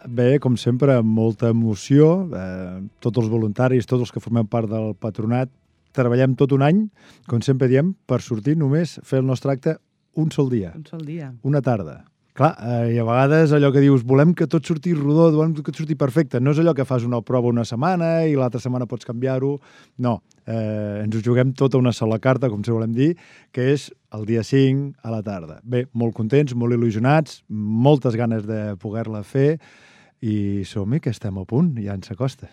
Bé, com sempre, amb molta emoció. Tots els voluntaris, tots els que formem part del patronat, treballem tot un any, com sempre diem, per sortir només fer el nostre acte un sol dia. Un sol dia. Una tarda. Clar, i a vegades allò que dius, volem que tot surti rodó, volem que tot surti perfecte. No és allò que fas una prova una setmana i l'altra setmana pots canviar-ho. No, ens ho juguem tota una sola carta, com se volem dir, que és el dia 5 a la tarda. Bé, molt contents, molt il·lusionats, moltes ganes de poder-la fer i som-hi, que estem a punt, ja ens acosta.